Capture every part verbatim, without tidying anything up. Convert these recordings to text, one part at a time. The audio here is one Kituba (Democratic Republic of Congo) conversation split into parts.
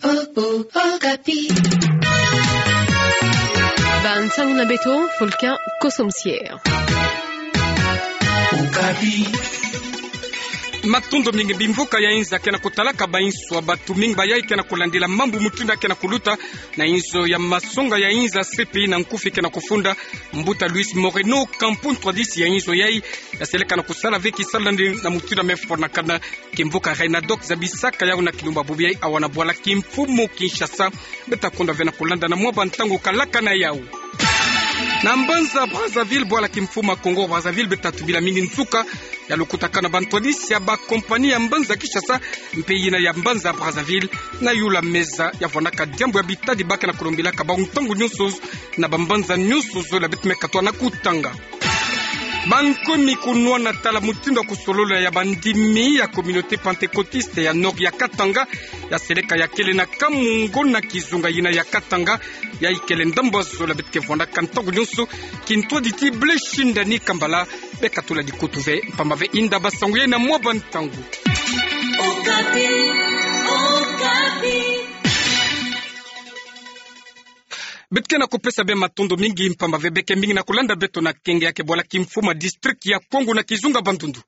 Oh, oh, Okapi. Bansangu na beto, Fulcan Kosomsier. Okapi. Matondo mingi. Bimvuka ya inza ke na kutalaka bainsu ya batu, mingi bayai ke na kulandila mambu mutindu ke na kuluta na inzo ya masonga ya inza, C P I na nkufi ke na kufunda mbuta Luis Moreno Ocampo, ntwadisi ya inzo yai, ya seleka na kusala ve kisalu na yandi na mutindu me fwanakana. Kimvuka Renadoc zabisaka yau na kilumbu bubu yai awa na bwala kimfumu Kinshasa. Beta konda ve na kulanda na mwa bantangu kalaka na yau. Na mbanza Brazzaville, bwala kimfumu Congo Brazzaville, beta tubila mingi nsuka ya lukutakanu na bantwadisi ya bakompani ya mbanza Kinshasa mpe yina ya mbanza Brazzaville, na yula meza ya vwanaka diambu ya bitadi ba ke na kulombilaka bau ntangu nyonso na bambanza nyonso zole beti me katwa na kutanga. Bankomi kunwana tala mutindu ya kusolola ya bandimi ya communauté pentecôtiste ya Nord ya Katanga, ya seleka ya kele na Kamungo na kizunga yina ya Katanga, ya ikele ndambu zole beti ke vwandaka ntangu nyonso. Kintwadi ti Blessing Ndani Kambala, beka tula dikutu ve mpamba ve inda basangu yai na mwa bantangu. Okapi, Okapi. Beti ke na kupesa be matondo mingi mpamba ve beke mingi na kulanda beto na kenge ya ke bwala kimfumu ya district ya Kwango na kizunga Bandundu.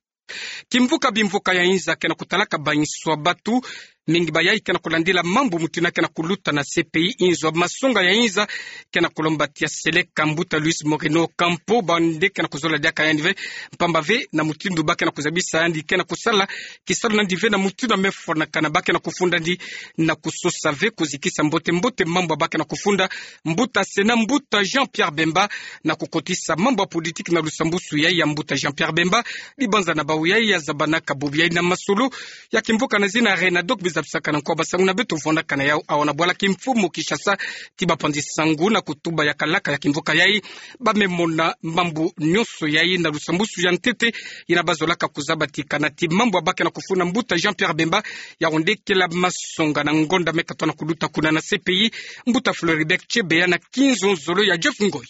Kimvuka bimvuka ya inza ke na kutalaka bainsu ya batu, mingi bayai ke na kulandila mambu mutindu ke na kuluta na C P I, inzo ya masonga ya inza ke na kulomba ti ya seleka mbuta Luis Moreno Ocampo, bande ke na kuzola diaka yandi ve mpamba ve na mutindu ba ke na kuzabisa yandi ke na kusala kisalu na yandi ve na mutindu me fwanakana. Ba ke na kufunda yandi na kusosa ve kuzikisa mbote mbote mambu ba ke na kufunda mbuta Sénat, mbuta Jean-Pierre Bemba, na kukotisa mambu ya politique na lusambusu yai ya mbuta Jean-Pierre Bemba. Dibanza na bau yai ya zabanaka bubu yai na masolo ya kimvuka na zina Renadoc, bizabisaka na nko ya basangu na beto vwandaka na yau awa na bwala kimfumu Kinshasa ti bapanzi sangu na kutuba ya kalaka ya kimvuka yai. Ba me mona mambu nyonso yai na lusambusu ya ntete yina ba zolaka kuzaba ti kana ti mambu ba ke na kufunda mbuta Jean-Pierre Bemba, ya onde kela masonga na ngonda me katwa na kuluta kuna na C P I, mbuta Floribert Chebeya na kinzonzolo ya Jeff Ngoy.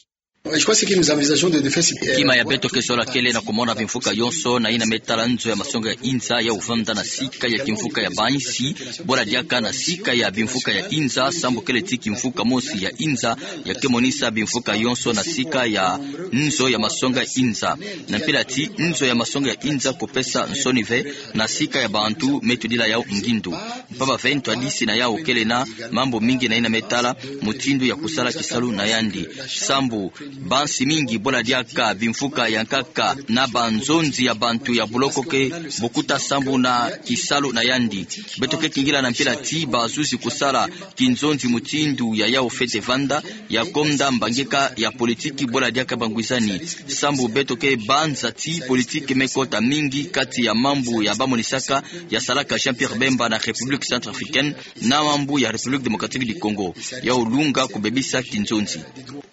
Je crois que ce que nous envisageons de, de faire, c'est, euh, kima ya beto ke zola kele na kumona bimvuka yonso na yina me tala nzo ya masonga ya inza ya uvanda na sika ya kimvuka ya bainsi, bwala diaka na sika ya bimvuka ya inza, sambu kele ti kimvuka mosi ya inza ya ke monisa bimvuka yonso na sika ya nzo ya masonga ya inza. Na mpila ti nzo ya masonga ya inza kupesa nsoni ve na sika ya bantu me tudila yau ngindu. Mpamba ve ntwadisi na yau kele na mambu mingi na yina me tala mutindu ya kusala kisalu na yandi. Sambu bansi mingi, bwala diaka bimvuka ya nkaka na banzonzi ya bantu ya buloko, ke bukuta sambu na kisalu na yandi. Beto ke kingila na mpila ti bazuzi kusala kinzonzi mutindu ya yau fwete vanda, ya konda mbangika ya politique bwala diaka bangwizani. Sambu beto ke banza ti politique me kota mingi kati ya mambu ya bamonisaka ya salaka Jean-Pierre Bemba na République centrafricaine na mambu ya République démocratique du Congo. Yau lunga kubebisa kinzonzi.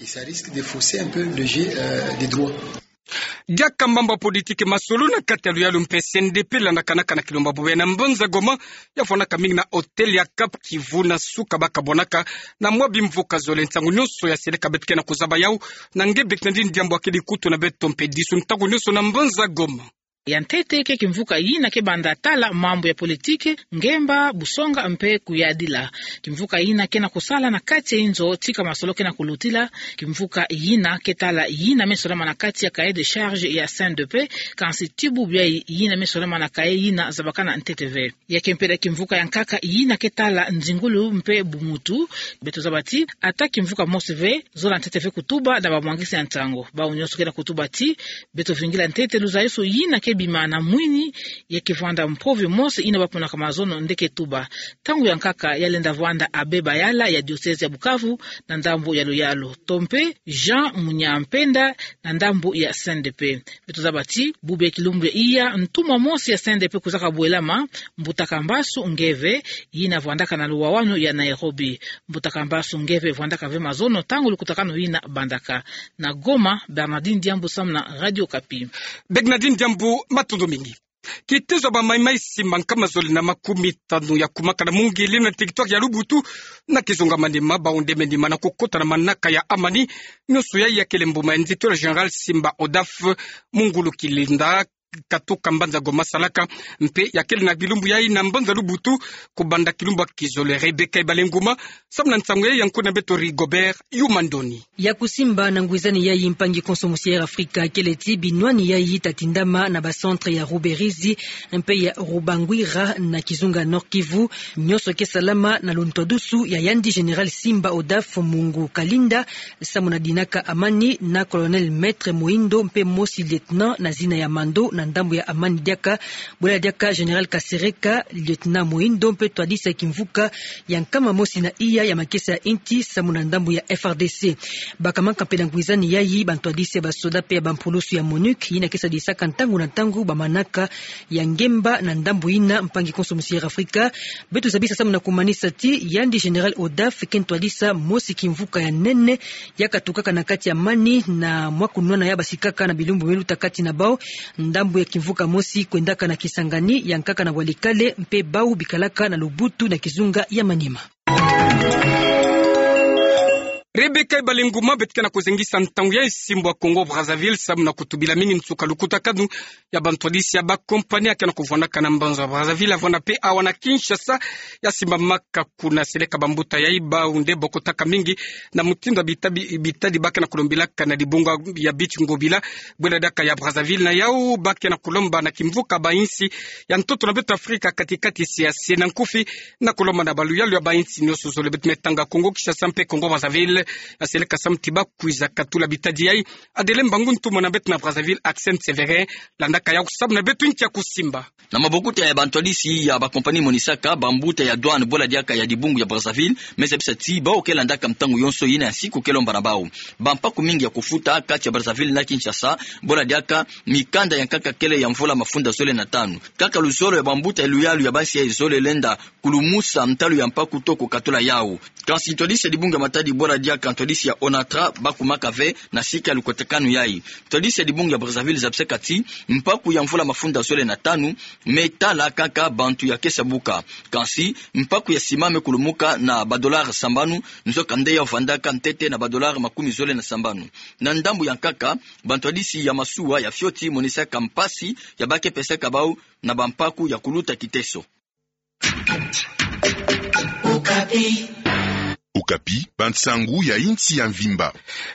Et ça risque de fausser un peu le jeu, euh, des droits. Diaka mambu ya politique, masolo na kati ya luyalu mpe C N D P landakanaka na kilumbu bubu yai na mbanza Goma, ya fwanaka mingi na hôtel ya Cap Kivu na suka ba kabwanaka na mwa bimvuka zole. Nsangu nyonso ya seleka beti ke na kuzaba yau na nge Bernardine Diambu, akedi kutu na beto mpe disu ntangu nyonso na mbanza Goma. Ya ntete ke kimvuka yina ke banda tala mambu ya politique, ngemba, busonga mpe kuyadila. Kimvuka yina ke na kusala na kati ya inzo tika masolo ke na kulutila. Kimvuka yina ke tala yina me solama na kati ya cahier de charge ya C N D P, kansi ti bubu yai yina me solama na cahier yina zabakana ntete ve. Ya ke mpila kimvuka ya nkaka yina ke tala nzingulu mpe bumuntu. Beto zaba ti ata kimvuka mosi ve zola ntete ve kutuba na bamwangisi ya ntangu. Bau nyonso ke na kutuba ti beto vingila ntete luzayusu yina ke bima na mwini, ya ke vwanda mpove mosi yina ba ponaka mazono nde ke tuba. Ntangu ya nkaka ya lenda vwanda abbé Bayala ya diocèse ya Bukavu na ndambu ya luyalu, to mpe Jean Munyampenda na ndambu ya C N D P. Beto zaba ti bubu ya kilumbu ya iya, ntumwa mosi ya C N D P kuzaka bwelama, mbuta Kambasu Ngeve, yina vwandaka na luwawanu ya Nairobi. Mbuta Kambasu Ngeve vwandaka ve mazono ntangu lukutakanu yina bandaka. Na Goma, Bernardine Diambu samu na Radio Okapi. Bernardine Diambu, matondo mingi. Kitezo ya bamaimai simba nkama zole na makumi tanu ya kumakana mungili na territoire ya Lubutu na kizunga Maniema, baonde menima na kukota na manaka ya amani. Nyonso yai ya kele mbuma ya nzitula général Simba Odaf, mu ngulu kilinda katuka mbanza Goma salaka, mpe ya kele na bilumbu yayi na mbanza Lubutu, kubanda kilumbu ya kizole. Rebecca Ibalenguma, samu na nsangu yayi ya nku na beto Rigobert Yumandoni. Ya kusimba na ngwizani yayi mpangi konso musi ya Air Africa kele ti binwani yayi ta tindama na ba centre ya Ruberizi mpe ya Rubangwira na kizunga Nord-Kivu, nyonso ke salama na luntwadusu ya yandi Général Simba Odaf Mungu Kalinda, samu na dinaka amani na Colonel Maître Moindo mpe mosi Lieutenant na zina ya Mando na ndambu ya amani diaka, bwela diaka Général Kasereka, Lieutenant Moindo mpe ntwadisi ya kimvuka ya nkama mosi na iya ya makesa ya inti samu na ndambu ya F R D C. Bakamanaka mpe na ngwizani yayi bantwadisi ya basoda mpe ya bampulusu ya MONUC, yina ke sadisaka ntangu na ntangu bamanaka ya ngemba na ndambu yina. Mpangi konso musi ya Air Africa, beto zabisa samu na kumanisa ti yandi Général Odaf ke ntwadisi mosi kimvuka ya nene ya katukaka na kati ya amani na mwa kunwana ya basikaka na bilumbu me luta kati na bau, ndambu ya kimvuka mosi kwendaka na Kisangani, ya nkaka na Walikale, mpe bau bikalaka na Lubutu na kizunga ya Maniema. Rebecca Ibalenguma, beto ke na kuzengisa ntangu ya esimbo ya Congo Brazzaville samu na kutubila mingi nsuka lukutakanu ya bantwadisi ya bakompani ya ke na kuvwandaka na mbanza Brazzaville, ya vwanda mpe awa na Kinshasa, ya simbamaka kuna seleka bambuta yayi bau nde bokotaka mingi na mutindu ya bita-, bi-, bitadi ba ke na kulombilaka na dibunga ya Biti Ngobila, bwela diaka ya Brazzaville. Na yau ba ke na kulomba na kimvuka ba insi ya ntoto na beto Afrika kati-kati, CEEAC, na nkufi na kulomba na baluyalu ya ba insi nyonso zole, beto me tanga Congo Kinshasa mpe Congo Brazzaville, ya seleka samu ti ba kwiza katula bitadi yayi. Adele Mbangu, ntumwa na beto na Brazzaville, Axel Sévérin, landaka yau samu na beto nki ya kusimba. Na mabokuta ya bantwadisi ya bakompani monisaka, bambuta ya douane bwela diaka ya dibungu ya Brazzaville me zabisa ti bau ke landaka ntangu yonso yina ya nsiku ke lomba na bau bampaku mingi ya kufuta kati ya Brazzaville na Kinshasa, bwela diaka mikanda ya nkaka kele ya mvula mafunda zole na tanu. Kaka luzolo ya bambuta ya luyalu ya bansi yayi zole lenda kulumusa ntalu ya mpaku to kukatula yau. Kansi ntwadisi ya dibungu ya Matadi bwela diaka ntwadisi ya ONATRA bakumaka ve na sika ya lukotakanu yayi. Ntwadisi ya dibungu ya Brazzaville zabisaka ti mpaku ya mvula mafunda zole na tanu me tala kaka bantu ya ke sa buka. Kansi mpaku ya sima me kulumuka na ba dollars sambanu, nzoka nde yau vandaka ntete na ba dollars makumi zole na sambanu. Na ndambu ya nkaka, bantwadisi ya masuwa ya fioti monisaka mpasi ya ba ke pesaka bau na bampaku ya kuluta kiteso. Okapi, bansangu ya insi ya mvimba.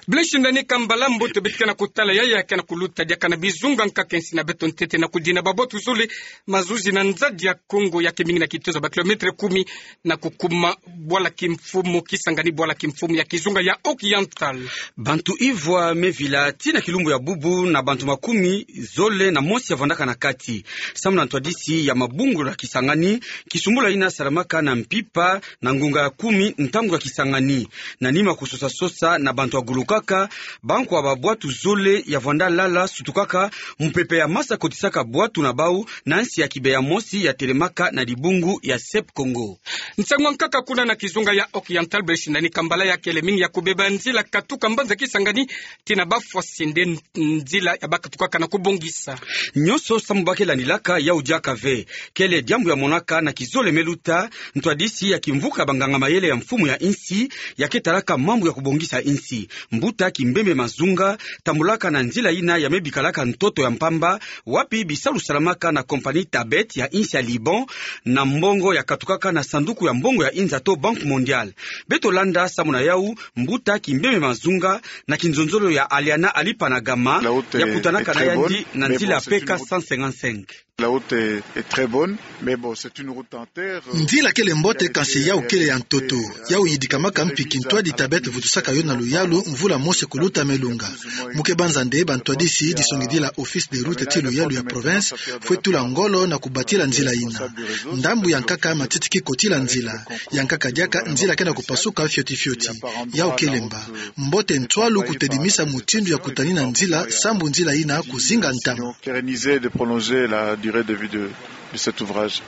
Blaise Ndani Kambala, mbote. Beto ke na kutala yayi ya ke na kuluta diaka na bizunga nkaka insi na beto ntete na kudina babwatu zole, mazuzi na nzadi ya Kongo ya ke mingi na kitezo ba kilomètres kumi na kukuma bwala kimfumu Kisangani, bwala kimfumu ya kizunga ya Occidental. Bantu ivwa me vila tii na kilumbu ya bubu na bantu makumi zole na mosi ya vandaka na kati, samu na ntwadisi ya mabungu ya Kisangani, kisumbula yina salamaka na mpimpa na ngunga ya kumi ntangu ya Kisangani. Na nima kusosa-sosa na bantu ya gulukaka, bankwa babwatu zole ya vanda lala sutukaka mupepe ya masa kotisaka bwatu na bau na nsi ya kibe ya mosi ya telemaka na dibungu ya Sep Kongo. Nsangu ya nkaka kuna na kizunga ya Occidental, Blaise Ndani Kambala, ya kele mingi ya kubeba nzila katuka mbanza Kisangani tii na Bafwasende, nzila ya ba katukaka na kubongisa. Nyonso samu ba ke landilaka yau diaka ve. Kele diambu ya monaka na kizole me luta, ntwadisi ya kimvuka banganga mayele ya mfumu ya insi, ya ke talaka mambu ya kubongisa insi, mbuta Kimbembe Mazunga, tambulaka na nzila yina ya me bikalaka ntoto ya mpamba, wapi bisalu salamaka na compagnie Tabet ya insi ya Liban, na mbongo ya katukaka na sanduku ya mbongo ya inza to Banque Mondiale. Beto landa samu na yau, mbuta Kimbembe Mazunga, na kinzonzolo ya Aliana Alipanagama, ya kutanaka na yandi na nzila P K cent cinquante-cinq. La route est, est très bonne, mais bon, c'est une route en terre, euh. Nzila kele mbote, kansi yau kele ya ntoto. Yau yidikamaka mpi kintwadi Tabet vutusaka yo na luyalu mvula mosi kuluta me lunga. Mu ke banza nde bantwadisi disongidila Office des routes tii luyalu ya province fwe tula ngolo na kubatila nzila yina. Ndambu ya nkaka matiti ki kotila nzila. Ya nkaka diaka nzila ke na kupasuka fioti-fioti. Yau kele mba. Mbote ntwalu kutedimisa mutindu ya kutanina nzila, sambu nzila yina kuzinga ntama. Pérenniser, de prolonger la durée de vie de, de cet ouvrage.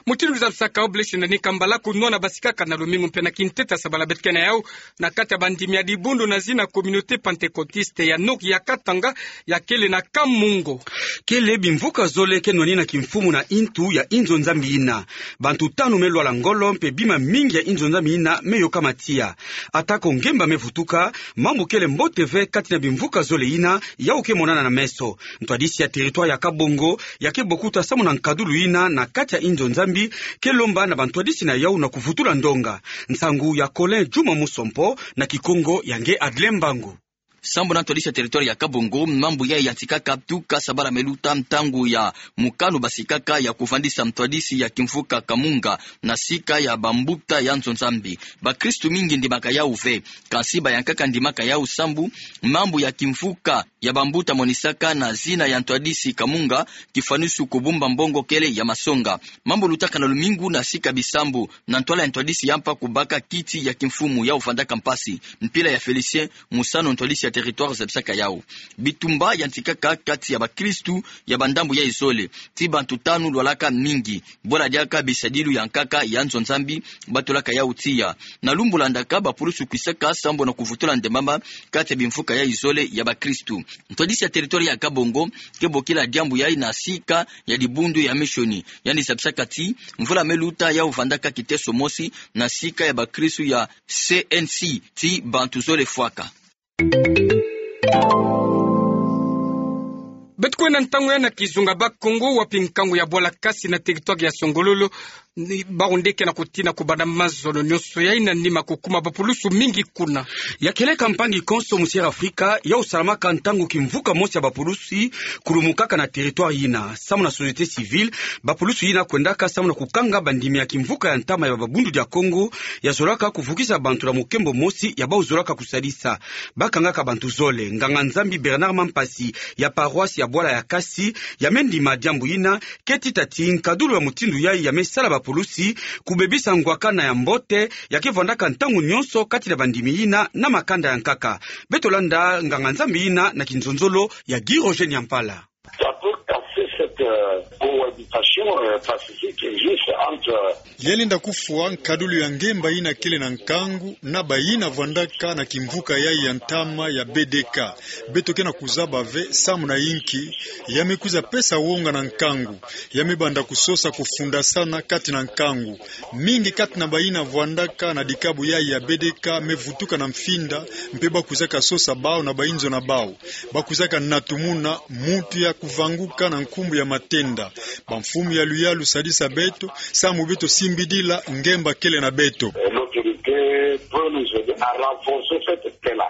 Mutindu kizabisaka Oblet Nani Kambala, kunwana basikaka na lumingu mpe na kintete ya sabala beto ke na yau na kati ya bandimi ya dibundu na zina communauté pentecôtiste ya Nord ya Katanga, ya kele na Kamungo. Kele bimvuka zole ke nwani na kimfumu na intu ya inzo Nzambi yina. Bantu tanu me lwala ngolo mpe bima mingi ya inzo Nzambi yina me yoka matiya. Atako ngemba me vutuka, mambu kele mbote ve kati na bimvuka zole yina yau ke monana na meso. Ntwadisi ya territoire ya Kabongo ya ke bokuta samu na nkadulu yina na kati ya inzo Nzambi, ke lomba na bantwadisi na yau na kuvutula ndonga. Nsangu ya Colin Juma Musompo, na Kikongo ya nge Adlin Mbangu. Sambu na ntwadisi ya territoire ya Kabongo, mambu yayi yantikaka tuka sabala me luta, ntangu ya mokano basikaka ya kuvandisa ntwadisi ya kimvuka Kamunga na sika ya bambuta ya nzo Nzambi. Bakristu mingi ndimaka yau ve, kansi bayankaka ndimaka yau sambu mambu ya kimvuka ya bambuta monisaka na zina ya ntwadisi Kamunga, kifwanusu kubumba mbongo kele ya masonga. Mambu lutaka na lumingu na sika bisambu, na ntwala ya ntwadisi ya mpa kubaka kiti ya kimfumu yau vandaka mpasi. Mpila ya Félicien Musano, ntwadisi ya territoire, zabisaka yau. Bitumba yantikaka kati ya bakristu ya bandambu yayi zole, ti bantu tanu lwalaka mingi, bwala diaka bisadilu ya nkaka ya nzo Nzambi batulaka yau tiya. Na lumbu landaka, bapulusu kwisaka sambu na kuvutula ndembama kati ya bimvuka yayi zole ya bakristu. Ntwadisi ya territoire ya Kabongo ke bokila diambu yayi na sika ya dibundu ya misioni. Yandi zabisaka ti mvula me luta yau vandaka kiteso mosi na sika ya bakristu ya C N C ti bantu zole fwaka. Beto kwenda ntangu yayi na kizunga Bas-Congo, wapi nkangu ya bwala kasi na territoire ya Songololo, ni, bawu nde ke na kutina kubanda mazono nyonso yayi na nima kukuma bapulusu mingi kuna. Ya keleka mpangi konso mu Sierra Afrika, yau salamaka ntangu kimvuka mosi ya bapulusi kulumukaka na territoire yina. Samu na société civile, bapulusu yina kwendaka samu na kukanga bandimi ya kimvuka ya ntama ya babundu dia Kongo, ya zolaka kuvukisa bantu na mukembo mosi ya bawu zolaka kusadisa. Bakangaka bantu zole. Nganga-Nzambi Bernard Mampasi ya paroisse ya bwala ya kasi, ya me ndima diambu yina, ke tita ti nkadulu ya mutindu yayi ya me sala bapulusi kubebisa ngwakana ya mbote ya ke vandaka ntangu nyonso kati na bandimi yina na makanda ya nkaka. Beto landa nganga-Nzambi yina na kinzonzolo ya Guy Roger Nyampala. Ça peut casser cette, euh, cohabitation, euh, pacifique qui existe entre, euh, Ya lenda kufwa nkadulu ya ngemba yina kele na nkangu na bayina vandaka na kimvuka yayi ya ntama ya B D K. Beto ke na kuzaba ve samu na inki ya me kwiza pesa wonga na nkangu, ya me banda kusosa kufundasana kati na nkangu. Mingi kati na bayina vandaka na dikabu yayi ya B D K me vutuka na mfinda, mpe bakwizaka sosa bawu na bayinzo na bawu. Bakwizaka natumuna muntu ya kuvanguka na nkumbu ya matenda. Bamfumu ya luyalu, sadisa beto, samu beto simbidila ngemba kele na beto. L'autorité peut nous aider à renforcer cette paix-là.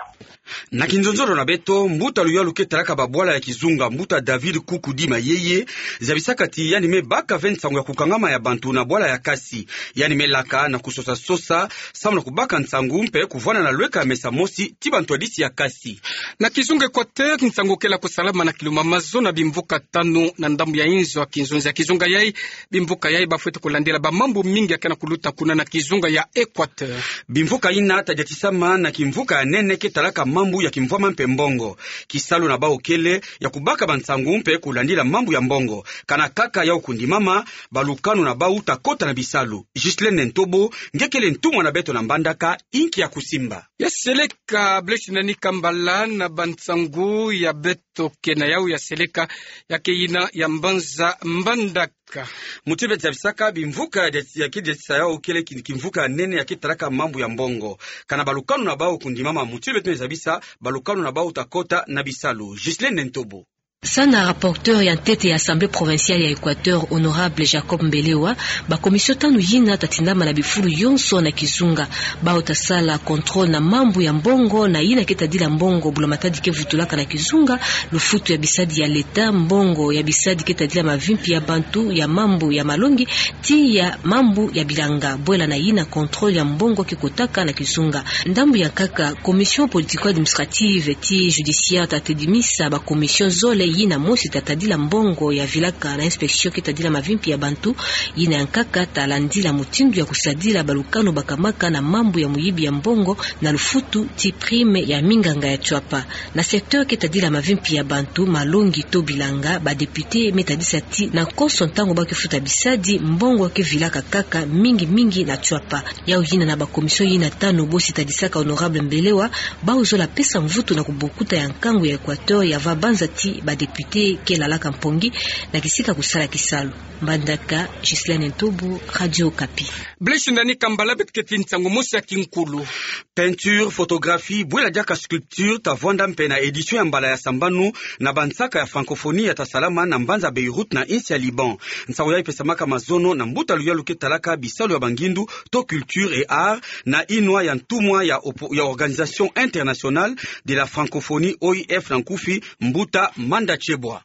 Na kinzonzolo na beto, mbuta luyalu ke talaka babwala ya kizunga, mbuta David Kukudi Mayeye, zabisaka ti yandi me baka ve nsangu ya kukangama ya bantu na bwala ya kasi. Yandi me laka na kusosa-sosa samu na kubaka nsangu mpe kuvwanda na lweka ya mesa mosi ti bantwadisi ya kasi. Na kizunga Équateur, nsangu ke na kusalama na kilumbu mazono na bimvuka tanu na ndambu ya inzo ya kinzonzi ya kizunga yayi. Bimvuka yayi bafweti kulandila bamambu mingi ya ke na kuluta kuna na kizunga ya Équateur. Bimvuka yina tadiatisama na kimvuka ya nene ke talaka mambu ya kimvwama mpe mbongo. Kisalu na bawu kele ya kubaka bansangu mpe kulandila mambu ya mbongo. Kana kaka yau kundimama, balukanu na bawu ta kota na bisalu. Ghislaine Ntobo, nge kele ntumwa na beto na Mbandaka, inki ya kusimba? Ya seleka, Blaise Nani Kambala, na bansangu ya beto ke na yau ya seleka, ya ke yina ya mbanza Mbandaka. Mutindu beto zabisaka, bimvuka ya, ya ke diatisa yau kele ki-, kimvuka ya nene ya ke talaka mambu ya mbongo. Kana balukanu na bawu kundimama, mutindu beto zabisa, balukanu na bawu ta kota na bisalu. Ghislaine Ntobo. Samu na rapporteur ya ntete ya Assemblée provinciale ya Équateur, honorable Jacob Mbelewa, ba commission tanu yina ta tindama na bifulu yonso na kizunga. Bawu ta sala contrôle na mambu ya mbongo, na yina ke tadila mbongo bula matadi ke vutulaka na kizunga, lufutu ya bisadi ya l'État, mbongo ya bisadi ke tadila mavimpi ya bantu, ya mambu ya malongi, ti ya mambu ya bilanga. Bwela na yina contrôle ya mbongo ke kotaka na kizunga. Ndambu ya nkaka, commission politico-administrative ti judiciaire ta tedimisa ba commission zole yina mosi ta tadila mbongo ya vilaka na inspection ke tadila mavimpi ya bantu, yina ya nkaka ta landila mutindu ya kusadila balukanu bakamaka na mambu ya muyibi ya mbongo na lufutu ti prime ya minganga ya tiwapa. Na secteur ke tadila mavimpi ya bantu, malongi to bilanga, ba député me tadisa ti na konso ntangu ba ke futa bisadi, mbongo ke vilaka kaka mingi mingi na tiwapa. Yau yina na ba commission yina tanu bosi tadisaka Honorable Mbelewa, bau zola pesa mvutu na kubokuta ya nkangu ya Equateur ya va banza ti ba député ke lalaka mpongi na kisika kusala kisalu. Mbandaka, Ghislaine Ntobo, Radio Okapi. Blessing Dani Kambala, beto keti nsangu mosi ya kinkulu. Peinture, photographie, bwela diaka sculpture, ta vwanda mpe na édition ya mbala ya sambanu na bansaka ya francophonie ya ta salama na mbanza Beyrouth na insi ya Liban. Nsangu yayi pesamaka mazono na mbuta luyalu ke talaka bisalu ya bangindu to culture et art na inwa ya ntumwa ya opo-, ya Organisation Internationale de la Francophonie, O I F na nkufi, mbuta Manda Chebwa.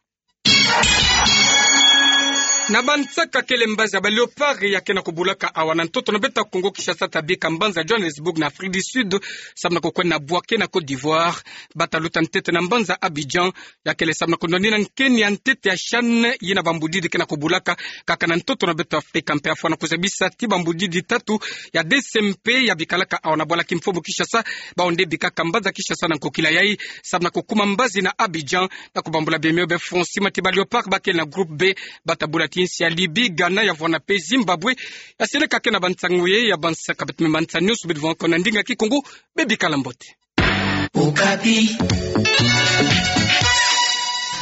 Na bansaka kele mbazi ya ba Léopards ya ke na kubulaka awa na ntoto na beto Kongo Kinshasa, ta bika mbanza Johannesburg na Afrique du Sud, samu na kukwenda bwake na Côte d'Ivoire. Ba ta luta ntete na mbanza Abidjan, ya kele samu na kunwanina nkeni ya ntete ya CHAN, yina bambudidi ke na kubulaka kaka na ntoto na beto Afrika. Mpe afwana kuzabisa ti bambudidi tatu ya D C M P ya bikalaka awa na bwala kimfumu Kinshasa, bau nde bikaka mbanza Kinshasa na nkokila yayi, samu na kukuma mbazi na Abidjan, na kubambula bemio be Francis Matiba. Léopards ba kele na groupe B, ba ta bula ti insi ya Libye, Ghana, ya vwanda mpe Zimbabwe. Ya seleka ke na bansangu ye ya bansaka, beto me mansa nyonso, beto vwanda ko na ndinga Kikongo, bebikala mbote. Okapi.